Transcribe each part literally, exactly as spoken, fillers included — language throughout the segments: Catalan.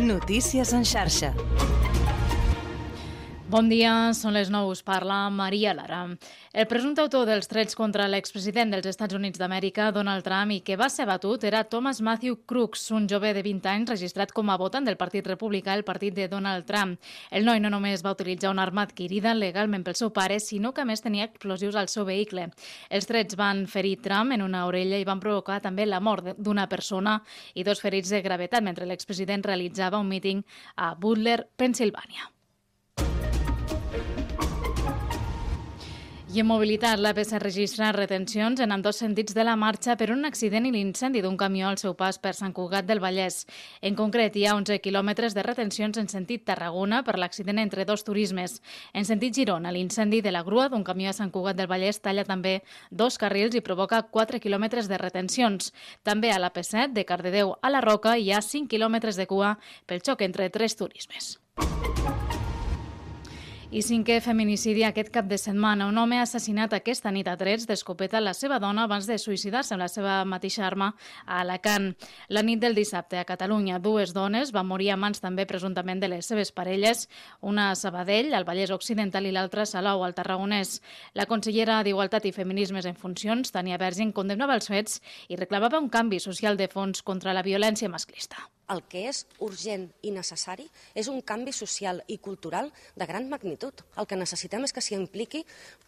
Notícies en xarxa. Bon dia, són les nou, us parla Maria Lara. El presumpte autor dels trets contra l'expresident dels Estats Units d'Amèrica, Donald Trump, i que va ser batut era Thomas Matthew Crooks, un jove de vint anys registrat com a votant del Partit Republicà, el partit de Donald Trump. El noi no només va utilitzar una arma adquirida legalment pel seu pare, sinó que a més tenia explosius al seu vehicle. Els trets van ferir Trump en una orella i van provocar també la mort d'una persona i dos ferits de gravetat mentre l'expresident realitzava un míting a Butler, Pennsilvània. I en mobilitat, l'A P C registra retencions en ambdós sentits de la marxa per un accident i l'incendi d'un camió al seu pas per Sant Cugat del Vallès. En concret, hi ha onze quilòmetres de retencions en sentit Tarragona per l'accident entre dos turismes. En sentit Girona, l'incendi de la grua d'un camió a Sant Cugat del Vallès talla també dos carrils i provoca quatre quilòmetres de retencions. També a l'A P set, de Cardedeu a la Roca, hi ha cinc quilòmetres de cua pel xoc entre tres turismes. I cinquè feminicidi aquest cap de setmana. Un home ha assassinat aquesta nit a trets d'escopeta la seva dona abans de suïcidar-se amb la seva mateixa arma a Alacant. La nit del dissabte a Catalunya, dues dones van morir a mans també presumptament de les seves parelles, una a Sabadell, al Vallès Occidental, i l'altra a Salou, al Tarragonès. La consellera d'Igualtat i Feminismes en funcions, Tania Vergin, condemnava els fets i reclamava un canvi social de fons contra la violència masclista. El que és urgent i necessari és un canvi social i cultural de gran magnitud. El que necessitem és que s'hi impliqui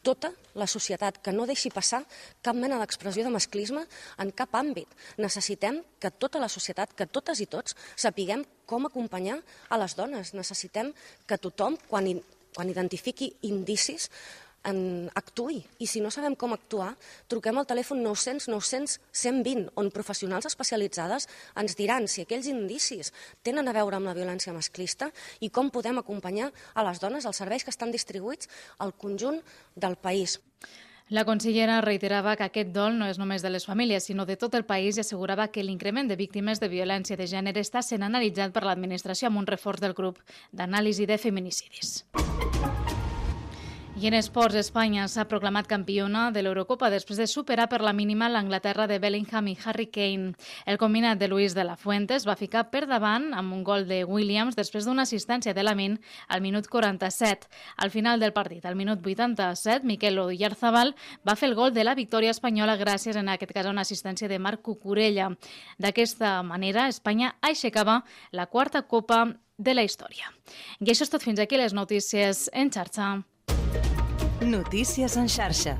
tota la societat, que no deixi passar cap mena d'expressió de masclisme en cap àmbit. Necessitem que tota la societat, que totes i tots, sapiguem com acompanyar a les dones. Necessitem que tothom, quan, quan identifiqui indicis, en actuï. I si no sabem com actuar, truquem al telèfon nou cents nou cents cent vint, on professionals especialitzades ens diran si aquells indicis tenen a veure amb la violència masclista i com podem acompanyar a les dones als serveis que estan distribuïts al conjunt del país. La consellera reiterava que aquest dol no és només de les famílies, sinó de tot el país, i assegurava que l'increment de víctimes de violència de gènere està sent analitzat per l'administració amb un reforç del grup d'anàlisi de feminicidis. I en esports, Espanya s'ha proclamat campiona de l'Eurocopa després de superar per la mínima l'Anglaterra de Bellingham i Harry Kane. El combinat de Luis de la Fuente es va ficar per davant amb un gol de Williams després d'una assistència de Lamine al minut quaranta-set. Al final del partit, al minut vuitanta-set, Mikel Oyarzabal va fer el gol de la victòria espanyola gràcies, en aquest cas, a una assistència de Marc Cucurella. D'aquesta manera, Espanya aixecava la quarta copa de la història. I això és tot, fins aquí les notícies en xarxa. Notícies en xarxa.